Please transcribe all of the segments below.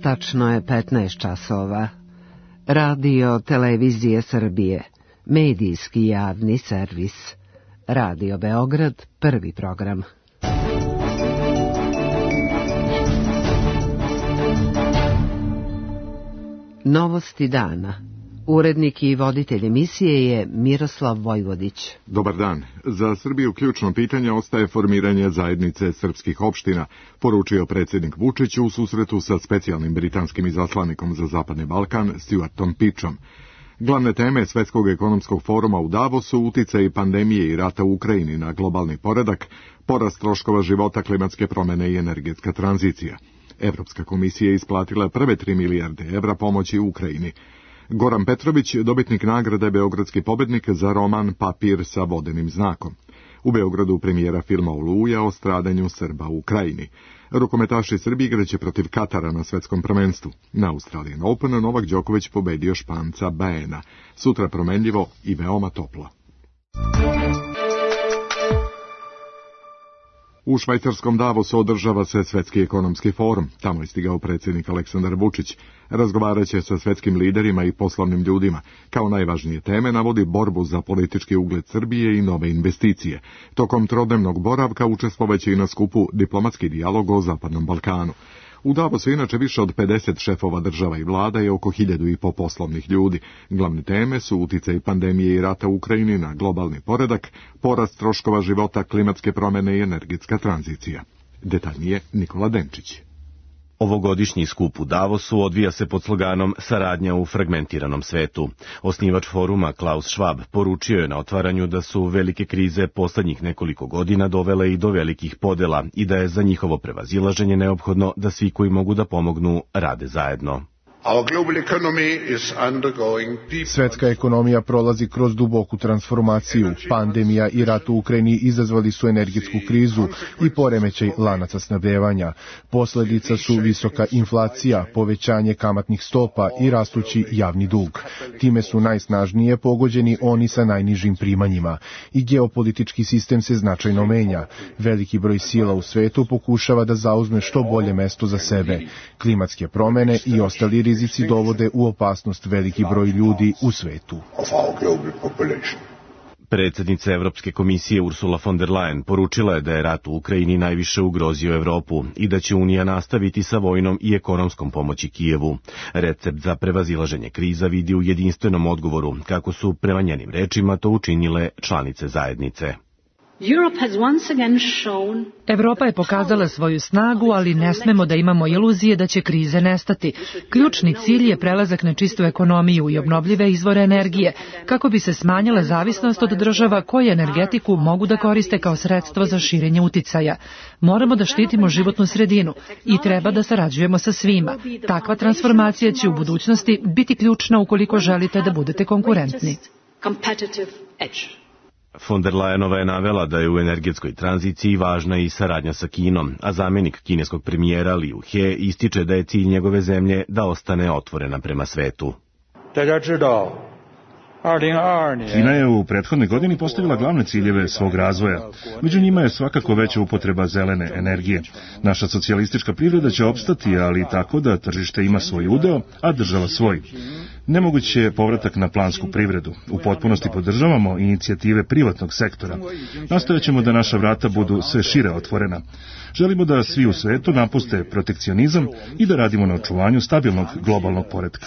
Tačno je 15 časova. Radio Televizije Srbije, medijski javni servis. Radio Beograd, prvi program. Novosti dana. Urednik i voditelj emisije je Miroslav Vojvodić. Dobar dan. Za Srbiju ključno pitanje ostaje formiranje zajednice srpskih opština, poručio predsjednik Vučić u susretu sa specijalnim britanskim izaslanikom za Zapadni Balkan, Stuartom Pičom. Glavne teme Svetskog ekonomskog foruma u Davosu, uticaj pandemije i rata u Ukrajini na globalni poredak, porast troškova života, klimatske promjene i energetska tranzicija. Evropska komisija je isplatila prve 3 milijarde evra pomoći Ukrajini. Goran Petrović, dobitnik nagrade Beogradski pobednik za roman Papir sa vodenim znakom. U Beogradu premijera filma Oluja o stradanju Srba u Ukrajini. Rukometaši Srbije igraće protiv Katara na svetskom prvenstvu. Na Australian Open Novak Đoković pobedio Španca Baena. Sutra promenljivo i veoma toplo. U švajcarskom Davosu održava se Svetski ekonomski forum. Tamo je stigao predsjednik Aleksandar Vučić. Razgovarat će sa svetskim liderima i poslovnim ljudima. Kao najvažnije teme navodi borbu za politički ugled Srbije i nove investicije. Tokom trodnevnog boravka učestvovaće i na skupu Diplomatski dijalog o Zapadnom Balkanu. U Davosu inače više od 50 šefova država i vlada i oko 1500 poslovnih ljudi. Glavne teme su uticaj pandemije i rata u Ukrajini na globalni poredak, porast troškova života, klimatske promjene i energetska tranzicija. Detaljnije Nikola Denčić. Ovogodišnji skup u Davosu odvija se pod sloganom Saradnja u fragmentiranom svetu. Osnivač foruma Klaus Schwab poručio je na otvaranju da su velike krize posljednjih nekoliko godina dovele i do velikih podela i da je za njihovo prevazilaženje neophodno da svi koji mogu da pomognu rade zajedno. Svetska ekonomija prolazi kroz duboku transformaciju. Pandemija i rat u Ukrajini izazvali su energetsku krizu i poremećaj lanaca snabdevanja. Posljedica su visoka inflacija, povećanje kamatnih stopa i rastući javni dug. Time su najsnažnije pogođeni oni sa najnižim primanjima. I geopolitički sistem se značajno menja. Veliki broj sila u svetu pokušava da zauzme što bolje mesto za sebe. Klimatske promjene i ostali rizici dovode u opasnost veliki broj ljudi u svetu. Predsjednica Evropske komisije Ursula von der Leyen poručila je da je rat u Ukrajini najviše ugrozio Evropu i da će Unija nastaviti sa vojnom i ekonomskom pomoći Kijevu. Recept za prevazilaženje kriza vidi u jedinstvenom odgovoru, kako su prema njenim rečima to učinile članice zajednice. Evropa je pokazala svoju snagu, ali ne smemo da imamo iluzije da će krize nestati. Ključni cilj je prelazak na čistu ekonomiju i obnovljive izvore energije, kako bi se smanjila zavisnost od država koje energetiku mogu da koriste kao sredstvo za širenje uticaja. Moramo da štitimo životnu sredinu i treba da sarađujemo sa svima. Takva transformacija će u budućnosti biti ključna ukoliko želite da budete konkurentni. Von der Leyenova je navela da je u energetskoj tranziciji važna i saradnja sa Kinom, a zamjenik kineskog premijera Liu He ističe da je cilj njegove zemlje da ostane otvorena prema svetu. Kina je u prethodnoj godini postavila glavne ciljeve svog razvoja. Među njima je svakako veća upotreba zelene energije. Naša socijalistička privreda će opstati, ali tako da tržište ima svoj udeo, a država svoj. Nemoguć je povratak na plansku privredu. U potpunosti podržavamo inicijative privatnog sektora. Nastojaćemo da naša vrata budu sve šire otvorena. Želimo da svi u svetu napuste protekcionizam i da radimo na očuvanju stabilnog globalnog poretka.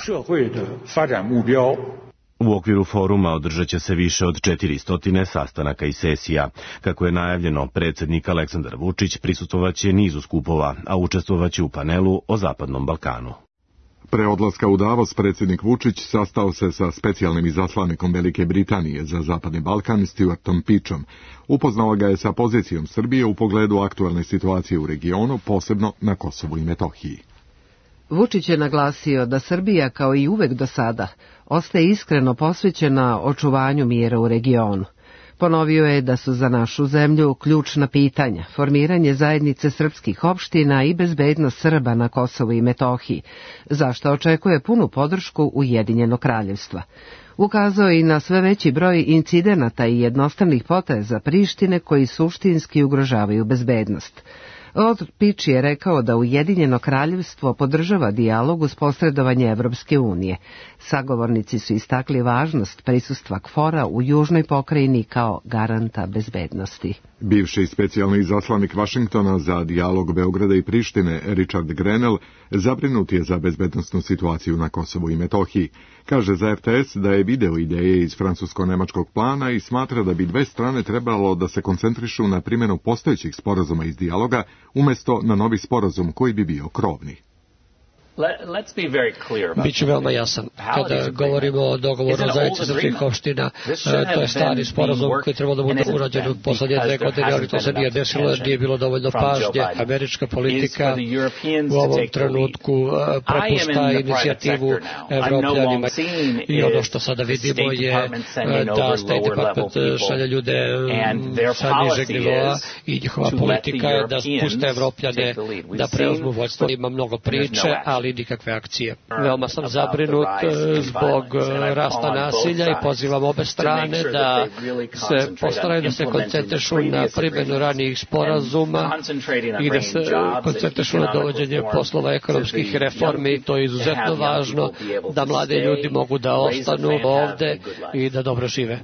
U okviru foruma održat će se više od 400 sastanaka i sesija. Kako je najavljeno, predsjednik Aleksandar Vučić prisustvovaće nizu skupova, a učestvovaće u panelu o Zapadnom Balkanu. Pre odlaska u Davos predsjednik Vučić sastao se sa specijalnim izaslanikom Velike Britanije za Zapadni Balkan Stuartom Pičom. Upoznao ga je sa pozicijom Srbije u pogledu aktualne situacije u regionu, posebno na Kosovu i Metohiji. Vučić je naglasio da Srbija, kao i uvek do sada, ostaje iskreno posvećena očuvanju mira u regionu. Ponovio je da su za našu zemlju ključna pitanja, formiranje zajednice srpskih opština i bezbednost Srba na Kosovu i Metohiji, za što očekuje punu podršku Ujedinjenog kraljevstva. Ukazao i na sve veći broj incidenata i jednostranih poteza Prištine koji suštinski ugrožavaju bezbednost. Pič je rekao da Ujedinjeno kraljevstvo podržava dijalog uz posredovanje Evropske unije. Sagovornici su istakli važnost prisustva KFOR-a u južnoj pokrajini kao garanta bezbednosti. Bivši specijalni izaslanik Vašingtona za dijalog Beograda i Prištine, Richard Grenell, zabrinut je za bezbednosnu situaciju na Kosovu i Metohiji. Kaže za RTS da je video ideje iz francusko-nemačkog plana i smatra da bi dve strane trebalo da se koncentrišu na primjenu postojećih sporazuma iz dijaloga, umjesto na novi sporazum koji bi bio krovni. Biću veoma jasan. Kada govorimo o dogovoru zajednice srpskih opština, to je stari sporazum koji treba da bude urađen u poslednje 2 godine, ali to se nije desilo, nije bilo dovoljno pažnje. Američka politika u ovom trenutku prepušta inicijativu Evropljanima i ono što sada vidimo je da State Department šalje ljude sa nižeg nivoa i njihova politika je da puste Evropljane da preuzmu vodstvo. Ima mnogo priče, ali nikakve akcije. Veoma sam zabrinut zbog rasta nasilja i pozivam obe strane da se postaraju da se koncentrišu na primjenu ranijih sporazuma i da se koncentrišu na dovođenje poslova ekonomskih reformi. To je izuzetno važno da mladi ljudi mogu da ostanu ovde i da dobro žive.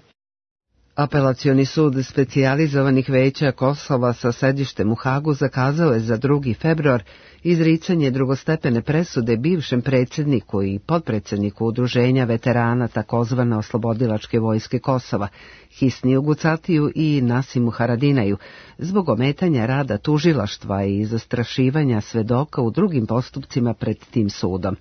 Apelacioni sud specijalizovanih veća Kosova sa sedištem u Hagu zakazao je za 2. februar izricanje drugostepene presude bivšem predsjedniku i potpredsjedniku udruženja veterana takozvane oslobodilačke vojske Kosova, Hisniju Gucatiju i Nasimu Haradinaju, zbog ometanja rada tužilaštva i zastrašivanja svedoka u drugim postupcima pred tim sudom.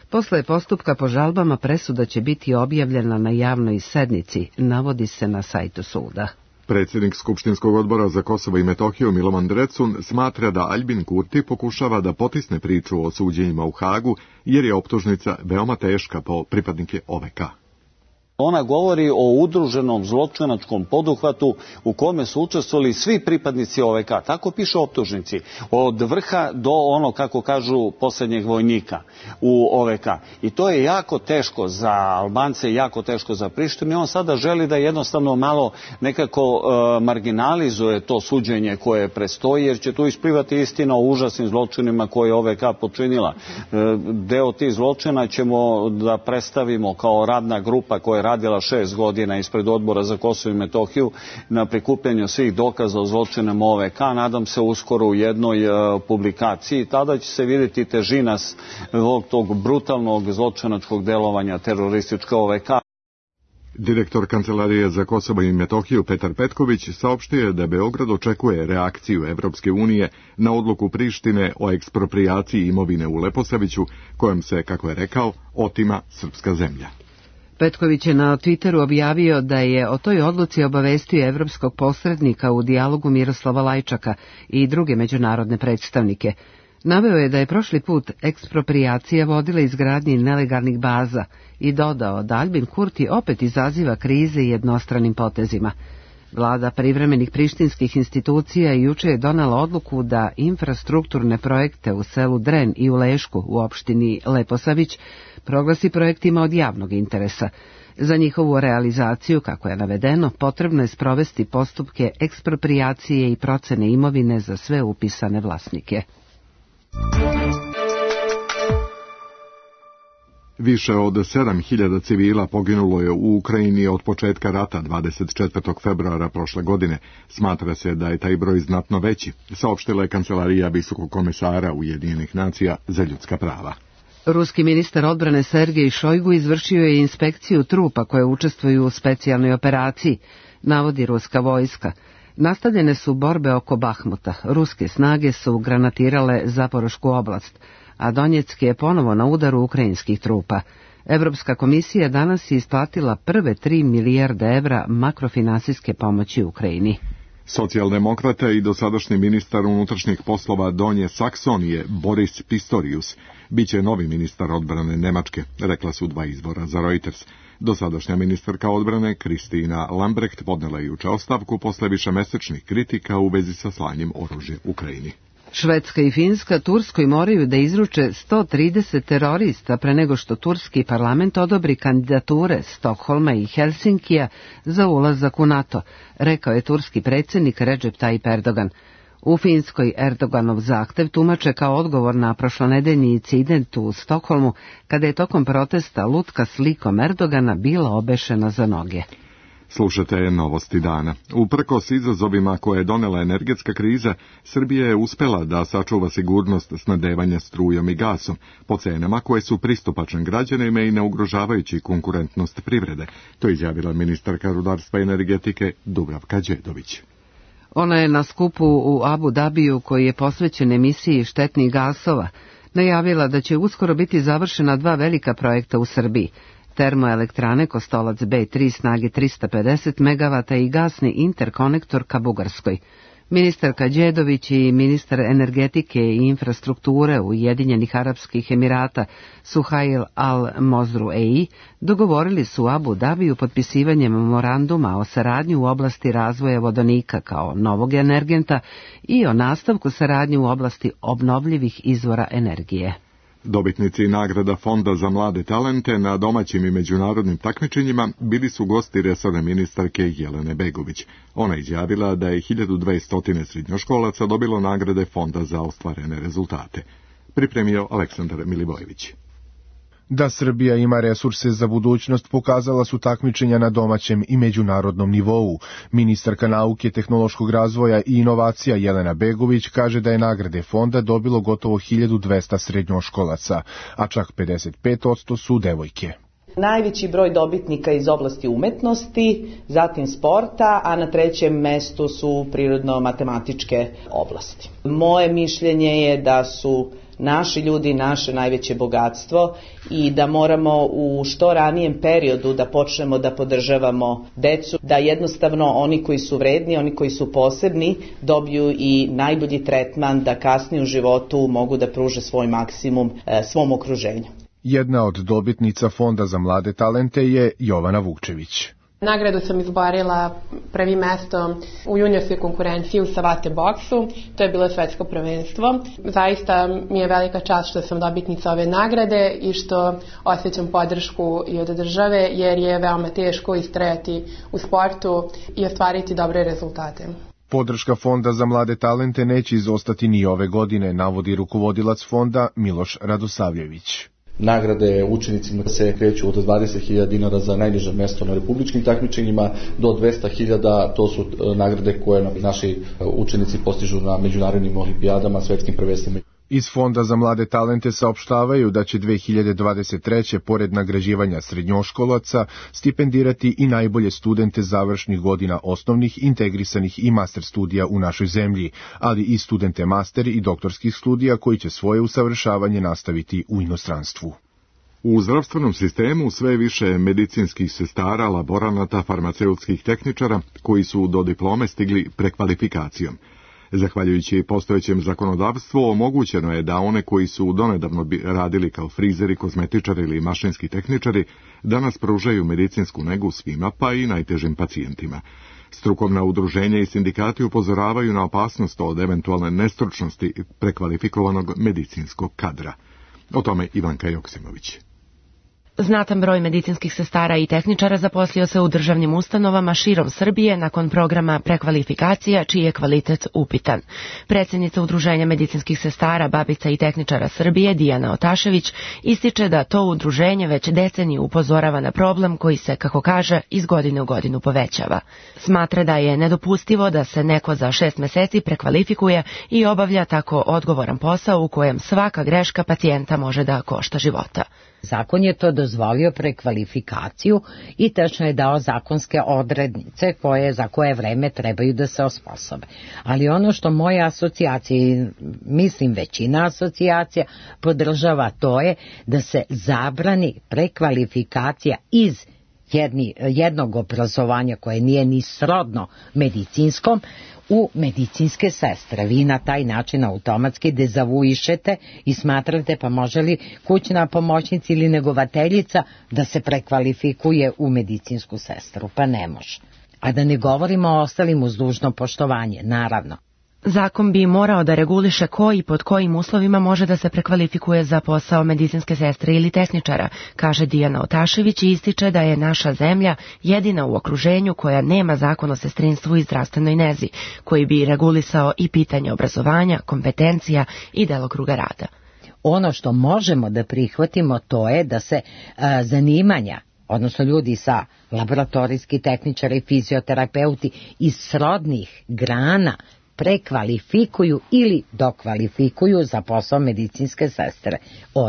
Posle postupka po žalbama presuda će biti objavljena na javnoj sednici, navodi se na sajtu suda. Predsjednik Skupštinskog odbora za Kosovo i Metohiju Milovan Drecun smatra da Aljbin Kurti pokušava da potisne priču o suđenjima u Hagu jer je optužnica veoma teška po pripadnike OVK. Ona govori o udruženom zločinačkom poduhvatu u kome su učestvovali svi pripadnici OVK. Tako piše u optužnici. Od vrha do ono, kako kažu, posljednjeg vojnika u OVK. I to je jako teško za Albance, jako teško za Prištinu. I on sada želi da jednostavno malo nekako marginalizuje to suđenje koje prestoji, jer će tu isplivati istina o užasnim zločinima koje je OVK počinila. Deo tih zločina ćemo da predstavimo kao radna grupa koja je radila 6 godina ispred odbora za Kosovo i Metohiju na prikupljanju svih dokaza o zločinama OVK. Nadam se uskoro u jednoj publikaciji. Tada će se vidjeti težina tog brutalnog zločinačkog delovanja teroristička OVK. Direktor Kancelarije za Kosovo i Metohiju Petar Petković saopštio je da Beograd očekuje reakciju Evropske unije na odluku Prištine o eksproprijaciji imovine u Leposaviću, kojom se, kako je rekao, otima srpska zemlja. Petković je na Twitteru objavio da je o toj odluci obavestio evropskog posrednika u dijalogu Miroslava Lajčaka i druge međunarodne predstavnike. Naveo je da je prošli put eksproprijacija vodila izgradnji nelegalnih baza i dodao da Aljbin Kurti opet izaziva krize jednostranim potezima. Vlada privremenih prištinskih institucija juče je donela odluku da infrastrukturne projekte u selu Dren i u Lešku u opštini Leposavić proglasi projektima od javnog interesa. Za njihovu realizaciju, kako je navedeno, potrebno je sprovesti postupke eksproprijacije i procene imovine za sve upisane vlasnike. Više od 7.000 civila poginulo je u Ukrajini od početka rata 24. februara prošle godine. Smatra se da je taj broj znatno veći, saopštila je Kancelarija Visokog komesara Ujedinjenih nacija za ljudska prava. Ruski ministar odbrane Sergej Šojgu izvršio je inspekciju trupa koje učestvuju u specijalnoj operaciji, navodi ruska vojska. Nastavljene su borbe oko Bahmuta. Ruske snage su granatirale Zaporošku oblast, a Donjeck je ponovo na udaru ukrajinskih trupa. Evropska komisija danas je isplatila prve 3 milijarde evra makrofinansijske pomoći Ukrajini. Socijaldemokrata i dosadašnji ministar unutrašnjih poslova Donje Saksonije Boris Pistorius biće novi ministar odbrane Nemačke, rekla su 2 izvora za Reuters. Dosadašnja ministarka odbrane Kristina Lambrecht podnela je juče ostavku posle višemesečnih kritika u vezi sa slanjem oružja Ukrajini. Švedska i Finska Turskoj moraju da izruče 130 terorista pre nego što turski parlament odobri kandidature Stokholma i Helsinkija za ulazak u NATO, rekao je turski predsjednik Recep Tayyip Erdogan. U Finskoj Erdoganov zahtev tumače kao odgovor na prošlonedeljni incident u Stokholmu, kada je tokom protesta lutka s likom Erdogana bila obešena za noge. Slušate novosti dana. Uprkos izazovima koje je donela energetska kriza, Srbija je uspela da sačuva sigurnost snabdevanja strujom i gasom po cenama koje su pristupačne građanima i ne ugrožavajući konkurentnost privrede. To je izjavila ministarka rudarstva i energetike Dubravka Đedović. Ona je na skupu u Abu Dabiju, koji je posvećen emisiji štetnih gasova, najavila da će uskoro biti završena 2 velika projekta u Srbiji. Termoelektrane Kostolac B3 snage 350 MW i gasni interkonektor ka Bugarskoj. Ministarka Đedović i ministar energetike i infrastrukture Ujedinjenih Arapskih Emirata Suhail al-Mozruei dogovorili su u Abu Dabiju potpisivanje memoranduma o saradnji u oblasti razvoja vodonika kao novog energenta i o nastavku saradnje u oblasti obnovljivih izvora energije. Dobitnici nagrada Fonda za mlade talente na domaćim i međunarodnim takmičenjima bili su gosti resorne ministarke Jelene Begović. Ona izjavila da je 1200 srednjoškolaca dobilo nagrade Fonda za ostvarene rezultate. Pripremio Aleksandar Milivojević. Da Srbija ima resurse za budućnost pokazala su takmičenja na domaćem i međunarodnom nivou. Ministarka nauke, tehnološkog razvoja i inovacija Jelena Begović kaže da je nagrade fonda dobilo gotovo 1200 srednjoškolaca, a čak 55% su devojke. Najveći broj dobitnika iz oblasti umetnosti, zatim sporta, a na 3. mestu su prirodno-matematičke oblasti. Moje mišljenje je da su naši ljudi naše najveće bogatstvo i da moramo u što ranijem periodu da počnemo da podržavamo decu, da jednostavno oni koji su vredni, oni koji su posebni dobiju i najbolji tretman da kasnije u životu mogu da pruže svoj maksimum svom okruženju. Jedna od dobitnica Fonda za mlade talente je Jovana Vukčević. Nagradu sam izborila prvi mesto u juniorskoj konkurenciji u savate boksu, to je bilo svetsko prvenstvo. Zaista mi je velika čast što sam dobitnica ove nagrade i što osjećam podršku i od države, jer je veoma teško istrajati u sportu i ostvariti dobre rezultate. Podrška Fonda za mlade talente neće izostati ni ove godine, navodi rukovodilac fonda Miloš Radosavljević. Nagrade učenicima se kreću od 20.000 dinara za najniže mesto na republičkim takmičenjima do 200.000, to su nagrade koje naši učenici postižu na međunarodnim olimpijadama, svetskim prvenstvima. Iz Fonda za mlade talente saopštavaju da će 2023. pored nagrađivanja srednjoškolaca stipendirati i najbolje studente završnih godina osnovnih, integrisanih i master studija u našoj zemlji, ali i studente master i doktorskih studija koji će svoje usavršavanje nastaviti u inostranstvu. U zdravstvenom sistemu sve više medicinskih sestara, laboranata, farmaceutskih tehničara koji su do diplome stigli prekvalifikacijom. Zahvaljujući postojećem zakonodavstvu, omogućeno je da one koji su donedavno radili kao frizeri, kozmetičari ili mašinski tehničari danas pružaju medicinsku negu svima, pa i najtežim pacijentima. Strukovna udruženja i sindikati upozoravaju na opasnost od eventualne nestručnosti prekvalifikovanog medicinskog kadra. O tome Ivanka Joksimović. Znatan broj medicinskih sestara i tehničara zaposlio se u državnim ustanovama širom Srbije nakon programa prekvalifikacija, čiji je kvalitet upitan. Predsjednica Udruženja medicinskih sestara, babica i tehničara Srbije, Dijana Otašević, ističe da to udruženje već deceniju upozorava na problem koji se, kako kaže, iz godine u godinu povećava. Smatra da je nedopustivo da se neko za 6 meseci prekvalifikuje i obavlja tako odgovoran posao u kojem svaka greška pacijenta može da košta života. Zakon je to dozvolio prekvalifikaciju i tačno je dao zakonske odrednice za koje vreme trebaju da se osposobe. Ali ono što moja asocijacija, mislim većina asocijacija, podržava, to je da se zabrani prekvalifikacija iz jednog obrazovanja koje nije ni srodno medicinskom u medicinske sestre. Vi na taj način automatski dezavuišete i smatrate pa može li kućna pomoćnica ili negovateljica da se prekvalifikuje u medicinsku sestru? Pa ne može. A da ne govorimo o ostalim uz dužno poštovanje, naravno. Zakon bi morao da reguliše ko i pod kojim uslovima može da se prekvalifikuje za posao medicinske sestre ili tehničara, kaže Dijana Otašević i ističe da je naša zemlja jedina u okruženju koja nema zakon o sestrinstvu i zdravstvenoj nezi, koji bi regulisao i pitanje obrazovanja, kompetencija i delokruga rada. Ono što možemo da prihvatimo to je da se zanimanja, odnosno ljudi sa laboratorijski tehničari, fizioterapeuti iz srodnih grana prekvalifikuju ili dokvalifikuju za posao medicinske sestre.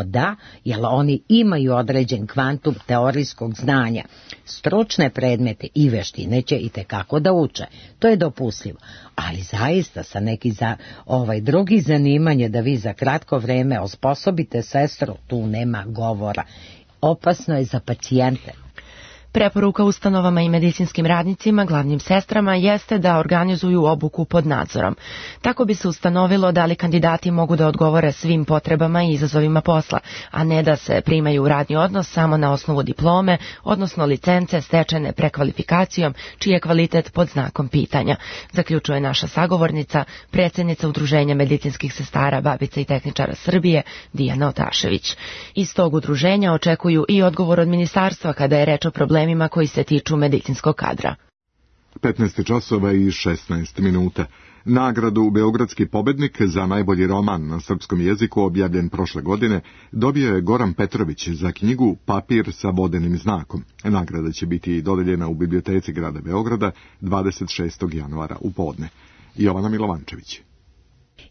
Da, jer oni imaju određen kvantum teorijskog znanja. Stručne predmete i veštine će itekako da uče. To je dopustljivo. Ali zaista sa neki drugi zanimanje da vi za kratko vreme osposobite sestru, tu nema govora. Opasno je za pacijente. Preporuka ustanovama i medicinskim radnicima, glavnim sestrama, jeste da organizuju obuku pod nadzorom. Tako bi se ustanovilo da li kandidati mogu da odgovore svim potrebama i izazovima posla, a ne da se primaju u radni odnos samo na osnovu diplome, odnosno licence stečene prekvalifikacijom, čiji je kvalitet pod znakom pitanja, zaključuje naša sagovornica, predsjednica Udruženja medicinskih sestara, babica i tehničara Srbije, Dijana Otašević. Iz tog udruženja očekuju i odgovor od ministarstva kada je reč o problemima koji se tiču medicinskog kadra. 15 časova i 16 minuta. Nagradu Beogradski pobednik za najbolji roman na srpskom jeziku objavljen prošle godine dobio je Goran Petrović za knjigu Papir sa vodenim znakom. Nagrada će biti dodeljena u biblioteci grada Beograda 26. januara u podne. Jovana Milovančević.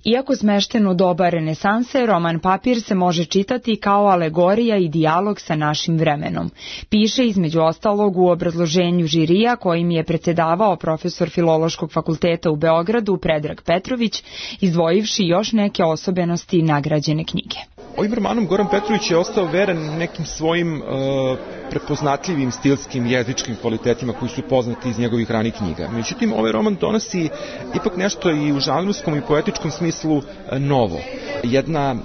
Iako smešten u doba renesanse, roman Papir se može čitati kao alegorija i dijalog sa našim vremenom. Piše između ostalog u obrazloženju žirija kojim je predsjedavao profesor Filološkog fakulteta u Beogradu Predrag Petrović, izdvojivši još neke osobenosti nagrađene knjige. Ovim romanom Goran Petrović je ostao veran nekim svojim prepoznatljivim stilskim jezičkim kvalitetima koji su poznati iz njegovih ranih knjiga. Međutim, ovaj roman donosi ipak nešto i u žanrovskom i poetičkom smislu novo. Jedna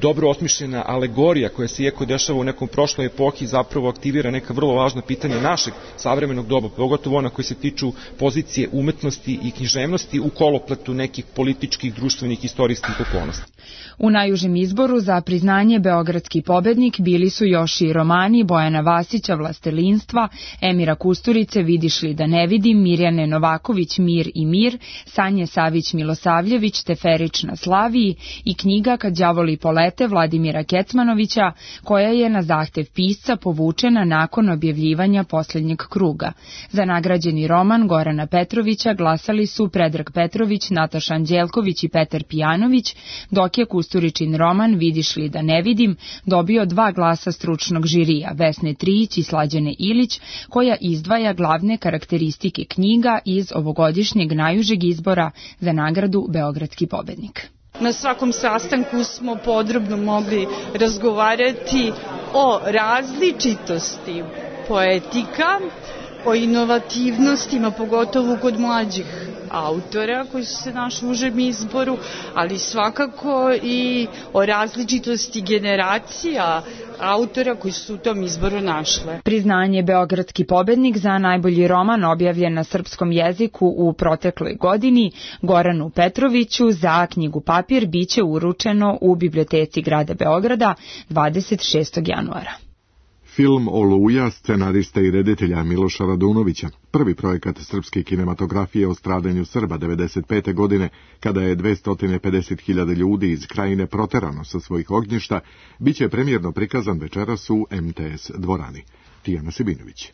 dobro osmišljena alegorija koja se iako dešava u nekom prošloj epohi zapravo aktivira neka vrlo važna pitanja našeg savremenog doba, pogotovo ona koji se tiču pozicije umetnosti i književnosti u kolopletu nekih političkih, društvenih, istorijskih okolnosti. U najužem izboru za priznanje Beogradski pobednik bili su još i romani Bojana Vasića Vlastelinstva, Emira Kusturice Vidiš li da ne vidim, Mirjane Novaković Mir i mir, Sanje Savić Milosavljević Teferić na Slaviji i knjiga Kad đavoli polete Vladimira Kecmanovića, koja je na zahtev pisca povučena nakon objavljivanja posljednjeg kruga. Za nagrađeni roman Gorana Petrovića glasali su Predrag Petrović, Nataša Anđelković i Petar Pijanović, dok je Kusturičin roman Vidiš li da ne vidim dobio 2 glasa stručnog žirija, Vesne Trijić i Slađane Ilić, koja izdvaja glavne karakteristike knjiga iz ovogodišnjeg najužeg izbora za nagradu Beogradski pobednik. Na svakom sastanku smo podrobno mogli razgovarati o različitosti poetika, o inovativnostima, pogotovo kod mlađih autora koji su se našli u užem izboru, ali svakako i o različitosti generacija autora koji su u tom izboru našle. Priznanje Beogradski pobednik za najbolji roman objavljen na srpskom jeziku u protekloj godini Goranu Petroviću za knjigu Papir biće uručeno u biblioteci grada Beograda 26. januara. Film Oluja scenariste i reditelja Miloša Radunovića, prvi projekat srpske kinematografije o stradanju Srba 1995. godine, kada je 250.000 ljudi iz krajine proterano sa svojih ognjišta, biće premijerno prikazan večeras u MTS dvorani. Tijana Sibinović.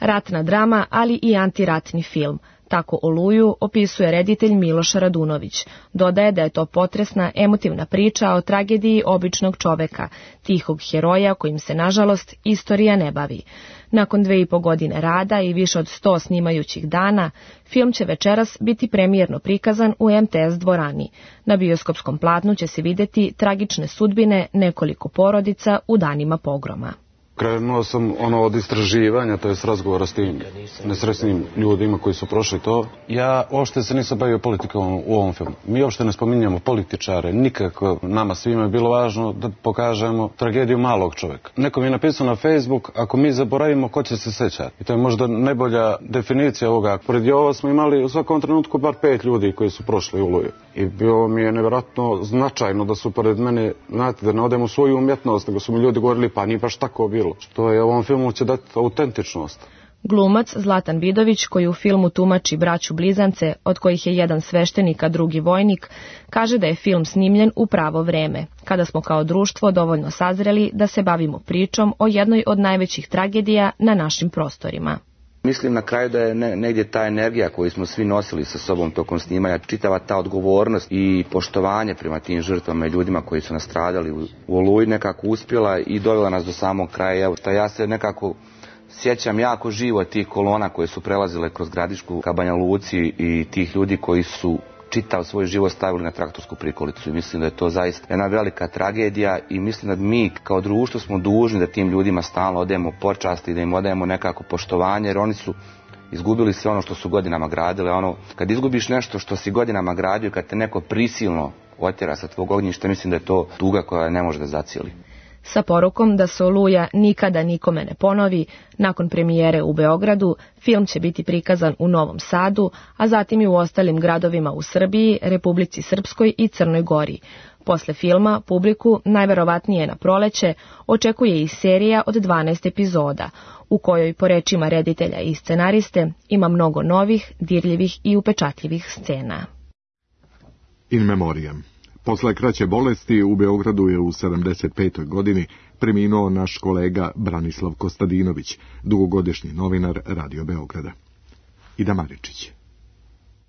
Ratna drama, ali i antiratni film. Tako Oluju opisuje reditelj Miloš Radunović. Dodaje da je to potresna, emotivna priča o tragediji običnog čoveka, tihog heroja kojim se, nažalost, istorija ne bavi. Nakon 2,5 godine rada i više od 100 snimajućih dana, film će večeras biti premijerno prikazan u MTS dvorani. Na bioskopskom platnu će se videti tragične sudbine nekoliko porodica u danima pogroma. Krenuo sam od istraživanja, to je s razgovora s tim nesrećnim ljudima koji su prošli to. Ja uopšte se nisam bavio politikom u ovom filmu. Mi uopšte ne spominjamo političare, nikako. Nama svima je bilo važno da pokažemo tragediju malog čovjeka. Neko mi je napisao na Facebook, ako mi zaboravimo, ko će se sećati? I to je možda najbolja definicija ovoga. Pored Jova smo imali u svakom trenutku bar 5 ljudi koji su prošli u Oluju. I bilo mi je nevjerojatno značajno da su pored mene, znate, da ne odem u svoju umjetnost, nego su mi ljudi govorili, pa nije baš tako bilo. Što je ovom filmu će dati autentičnost. Glumac Zlatan Vidović, koji u filmu tumači braću blizance, od kojih je jedan sveštenik, a drugi vojnik, kaže da je film snimljen u pravo vreme, kada smo kao društvo dovoljno sazreli da se bavimo pričom o jednoj od najvećih tragedija na našim prostorima. Mislim na kraju da je negdje ta energija koju smo svi nosili sa sobom tokom snimanja, čitava ta odgovornost i poštovanje prema tim žrtvama i ljudima koji su nastradali u Oluji nekako uspjela i dovela nas do samog kraja. Evo, ja se nekako sjećam jako živo tih kolona koje su prelazile kroz Gradišku ka Banja Luci i tih ljudi koji su čitav svoj život stavili na traktorsku prikolicu i mislim da je to zaista jedna velika tragedija i mislim da mi kao društvo smo dužni da tim ljudima stalno odajemo počast i da im odajemo nekako poštovanje, jer oni su izgubili sve ono što su godinama gradili. Kad izgubiš nešto što si godinama gradio, kad te neko prisilno otjera sa tvog ognjišta, mislim da je to tuga koja ne može da zacijeli. Sa porukom da se Oluja nikada nikome ne ponovi, nakon premijere u Beogradu, film će biti prikazan u Novom Sadu, a zatim i u ostalim gradovima u Srbiji, Republici Srpskoj i Crnoj Gori. Posle filma, publiku, najverovatnije na proleće, očekuje i serija od 12 epizoda, u kojoj, po rečima reditelja i scenariste, ima mnogo novih, dirljivih i upečatljivih scena. In memoriam. Posle kraće bolesti u Beogradu je u 75. godini preminuo naš kolega Branislav Kostadinović, dugogodišnji novinar Radio Beograda. Ida Maričić.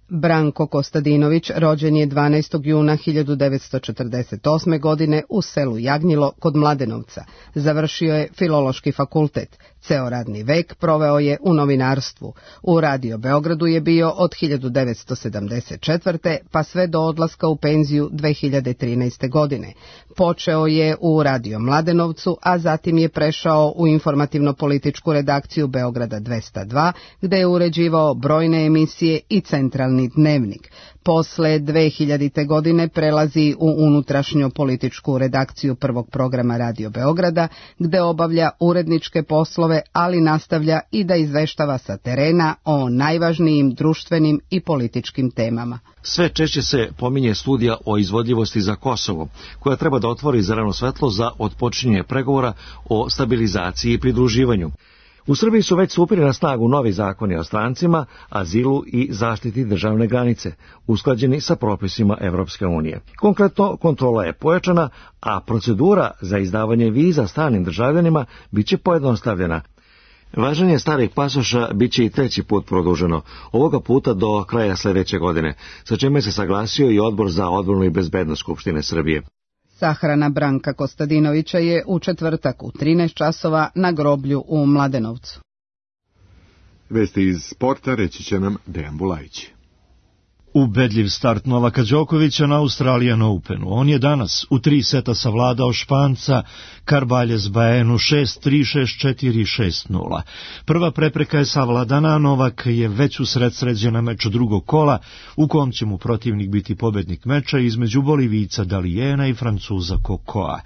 Branko Kostadinović rođen je 12. juna 1948. godine u selu Jagnjilo kod Mladenovca. Završio je Filološki fakultet. Ceo radni vek proveo je u novinarstvu. U Radio Beogradu je bio od 1974. pa sve do odlaska u penziju 2013. godine. Počeo je u Radio Mladenovcu, a zatim je prešao u informativno-političku redakciju Beograda 202, gde je uređivao brojne emisije i centralni dnevnik. Posle 2000. godine prelazi u unutrašnjo političku redakciju prvog programa Radio Beograda, gde obavlja uredničke poslove, ali nastavlja i da izveštava sa terena o najvažnijim društvenim i političkim temama. Sve češće se pominje studija o izvodljivosti za Kosovo, koja treba da otvori zeleno svetlo za otpočinjenje pregovora o stabilizaciji i pridruživanju. U Srbiji su već stupili na snagu novi zakoni o strancima, azilu i zaštiti državne granice, usklađeni sa propisima Evropske unije. Konkretno, kontrola je pojačana, a procedura za izdavanje viza stranim državljanima biće pojednostavljena. Važenje starih pasoša biće i treći put produženo, ovoga puta do kraja sljedeće godine, sa čime se saglasio i Odbor za odbranu i bezbednost Skupštine Srbije. Sahrana Branka Kostadinovića je u četvrtak u 13 časova na groblju u Mladenovcu. Vesti iz sporta reći će nam Dejan Bulajić. Ubedljiv start Novaka Đokovića na Australian Openu. On je danas u 3 seta savladao Španca Carballes Baenu 6-3, 6-4, 6-0. Prva prepreka je savladana, Novak je već usred sređena meč drugog kola, u kom će mu protivnik biti pobednik meča između Bolivijca Dalijena i Francuza Kokoa.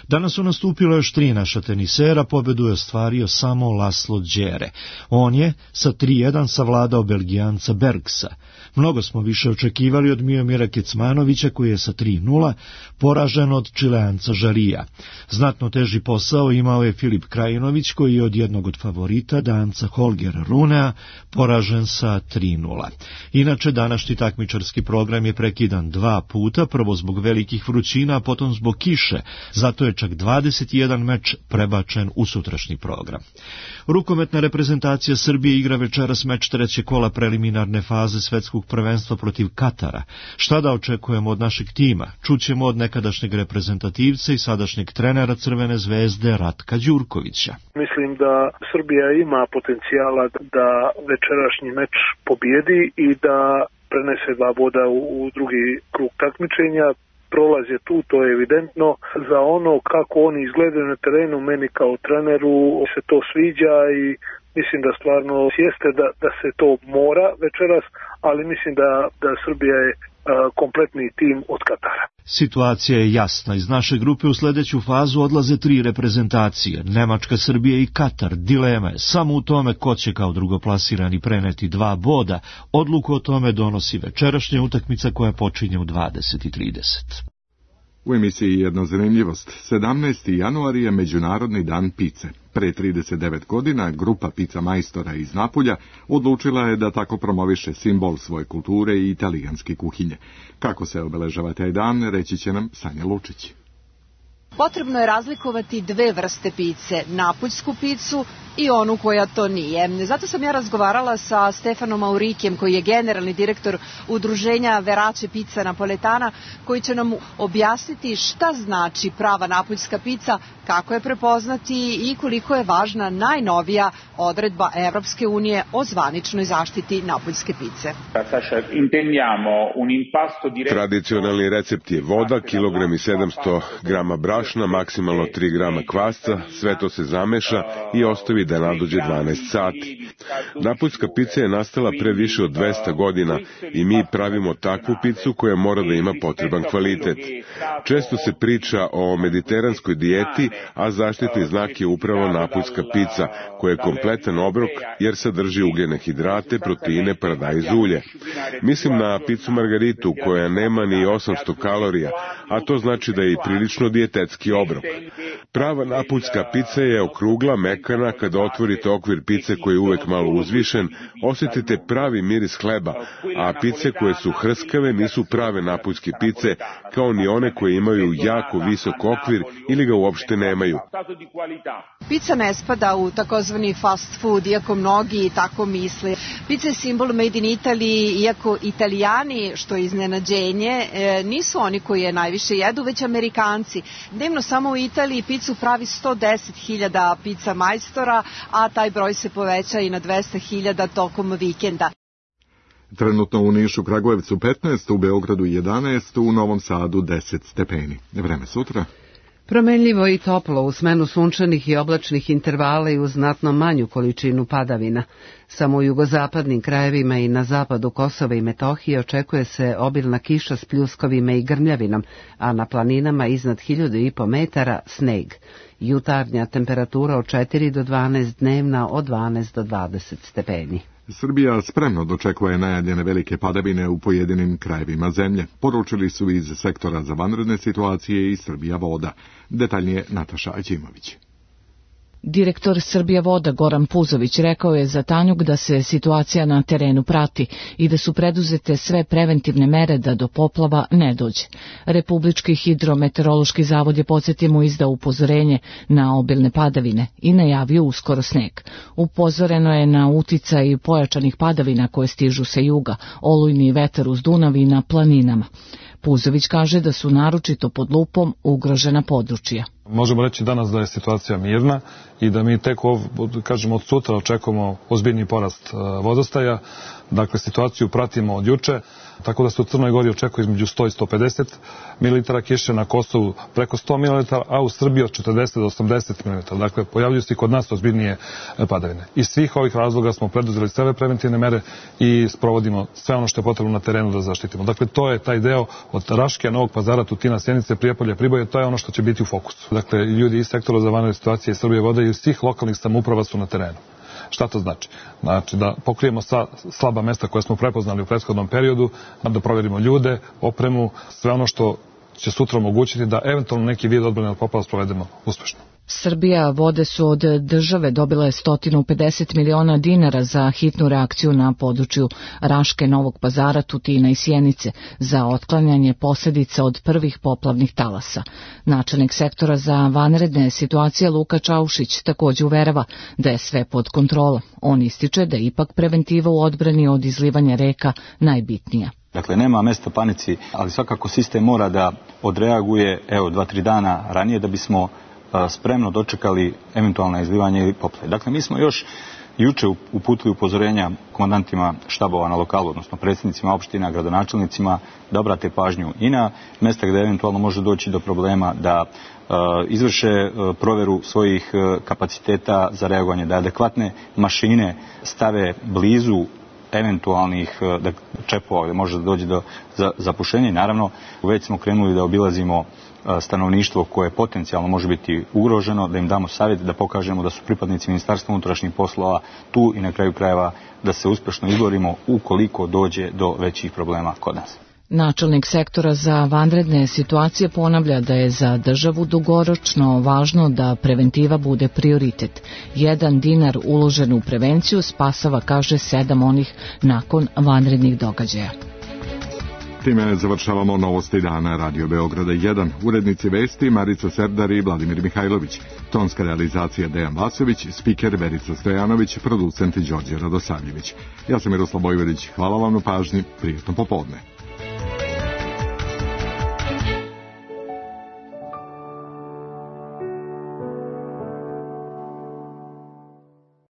Danas su nastupilo još 3 naša tenisera, pobedu je ostvario samo Laslo Đere. On je sa 3-1 savladao Belgijanca Bergsa. Mnogo smo više očekivali od Miomira Kecmanovića, koji je sa 3-0 poražen od Čileanca Žarija. Znatno teži posao imao je Filip Krajinović, koji je od jednog od favorita, Danca Holgera Runea, poražen sa 3-0. Inače, današnji takmičarski program je prekidan 2 puta, prvo zbog velikih vrućina, a potom zbog kiše. Zato je čak 21 meč prebačen u sutrašnji program. Rukometna reprezentacija Srbije igra večeras meč treće kola preliminarne faze svetskog prvenstva protiv Katara. Šta da očekujemo od našeg tima? Čućemo od nekadašnjeg reprezentativca i sadašnjeg trenera Crvene zvezde Ratka Đurkovića. Mislim da Srbija ima potencijala da večerašnji meč pobjedi i da prenese 2 boda u drugi krug takmičenja. prolaz je tu, to je evidentno. Za ono kako oni izgledaju na terenu, meni kao treneru se to sviđa i mislim da stvarno jeste da se to mora večeras, ali mislim da Srbija je kompletni tim od Katara. Situacija je jasna. Iz naše grupe u sledeću fazu odlaze 3 reprezentacije. Nemačka, Srbija i Katar. Dilema je samo u tome ko će kao drugoplasirani preneti 2 boda. Odluku o tome donosi večerašnja utakmica koja počinje u 20:30. U emisiji Jedna zanimljivost. 17. januar je Međunarodni dan pice. Pre 39 godina grupa pica majstora iz Napulja odlučila je da tako promoviše simbol svoje kulture i italijanske kuhinje. Kako se obeležava taj dan, reći će nam Sanja Lučić. Potrebno je razlikovati 2 vrste pice, napuljsku picu i onu koja to nije. Zato sam ja razgovarala sa Stefanom Maurikijem, koji je generalni direktor udruženja Verace Pizza Napoletana, koji će nam objasniti šta znači prava napuljska pica, kako je prepoznati i koliko je važna najnovija odredba Evropske unije o zvaničnoj zaštiti napuljske pice. Tradicionalni recept je voda, kilogram i 700 grama brašna, maksimalno 3 grama kvasca, sve to se zameša i ostavi da nadođe 12 sati. Napuljska pica je nastala pre više od 200 godina i mi pravimo takvu picu koja mora da ima potreban kvalitet. Često se priča o mediteranskoj dijeti, a zaštitni znak je upravo napuljska pica, koja je kompletan obrok jer sadrži ugljene hidrate, proteine, paradajz, ulje. Mislim na picu margaritu koja nema ni 800 kalorija, a to znači da je i prilično dijetetski obrok. Prava napuljska pica je okrugla, mekana, kada otvorite okvir pice koji je uvek malo uzvišen, osjetite pravi miris hleba, a pice koje su hrskave nisu prave napuljske pice, kao ni one koje imaju jako visok okvir ili ga uopšte nemaju. Pica ne spada u takozvani fast food, iako mnogi tako misle. Pica je simbol made in Italy, iako Italijani, što je iznenađenje, nisu oni koji je najviše jedu, već Amerikanci. Dnevno samo u Italiji picu pravi 110.000 pica majstora, a taj broj se poveća i na 200.000 tokom vikenda. Trenutno u Nišu, Kragujevcu 15, u Beogradu 11, u Novom Sadu 10 stepeni. Vreme sutra. Promenljivo i toplo u smenu sunčanih i oblačnih intervala i uz znatno manju količinu padavina. Samo u jugozapadnim krajevima i na zapadu Kosova i Metohije očekuje se obilna kiša s pljuskovima i grmljavinom, a na planinama iznad 1500 metara sneg. Jutarnja temperatura od 4 do 12, dnevna od 12 do 20 stepeni. Srbija spremno dočekuje najavljene velike padavine u pojedinim krajevima zemlje. Poručili su iz sektora za vanredne situacije i Srbija voda. Detaljnije Nataša Aćimović. Direktor Srbija voda Goran Puzović rekao je za Tanjug da se situacija na terenu prati i da su preduzete sve preventivne mere da do poplava ne dođe. Republički hidrometeorološki zavod je, podsjetimo, izdao upozorenje na obilne padavine i najavio uskoro sneg. Upozoreno je na uticaj pojačanih padavina koje stižu sa juga, olujni vetar uz Dunav i na planinama. Puzović kaže da su naročito pod lupom ugrožena područja. Možemo reći danas da je situacija mirna i da mi tek od sutra očekujemo ozbiljni porast vodostaja. Dakle, situaciju pratimo od juče, tako da se u Crnoj Gori očekuje između 100 i 150 ml kiše, na Kosovu preko 100 ml, a u Srbiji od 40 do 80 ml. Dakle, pojavljuju se i kod nas ozbiljnije padavine. Iz svih ovih razloga smo preduzeli sve preventivne mere i sprovodimo sve ono što je potrebno na terenu da zaštitimo. Dakle, to je taj deo od Raške, Novog Pazara, Tutina, Sjenice, Prijepolja, Priboja, to je ono što će biti u fokusu. Dakle, ljudi iz sektora za vanredne situacije Srbije vode i svih lokalnih samouprava su na terenu. Šta to znači? Znači da pokrijemo slaba mesta koje smo prepoznali u prethodnom periodu, da provjerimo ljude, opremu, sve ono što će sutra omogućiti da eventualno neki vid odbrane od poplava sprovedemo uspešno. Srbija vode su od države dobile 150 miliona dinara za hitnu reakciju na području Raške, Novog Pazara, Tutina i Sjenice za otklanjanje posljedica od prvih poplavnih talasa. Načelnik sektora za vanredne situacije Luka Čaušić također uverava da je sve pod kontrolom. On ističe da je ipak preventiva u odbrani od izlivanja reka najbitnija. Dakle, nema mesta panici, ali svakako sistem mora da odreaguje 2-3 dana ranije da bismo spremno dočekali eventualno izlivanje ili poplave. Dakle, mi smo još juče uputili upozorenja komandantima štabova na lokalu, odnosno predsjednicima opština, gradonačelnicima, da obrate pažnju i na mesta gde eventualno može doći do problema, da izvrše proveru svojih kapaciteta za reagovanje, da adekvatne mašine stave blizu eventualnih čepova gde može da dođe do zapušenja i naravno već smo krenuli da obilazimo stanovništvo koje potencijalno može biti ugroženo, da im damo savjet, da pokažemo da su pripadnici Ministarstva unutrašnjih poslova tu i na kraju krajeva da se uspešno izborimo ukoliko dođe do većih problema kod nas. Načelnik sektora za vanredne situacije ponavlja da je za državu dugoročno važno da preventiva bude prioritet. 1 dinar uložen u prevenciju spasava, kaže, 7 onih nakon vanrednih događaja. Time završavamo novosti dana Radio Beograda 1. Urednici vesti Marica Serdar i Vladimir Mihajlović. Tonska realizacija Dejan Vasović, spiker Verica Stojanović, producent Đorđe Radosavljević. Ja sam Miroslav Bojvedić. Hvala vam na pažnji. Prijetno popodne.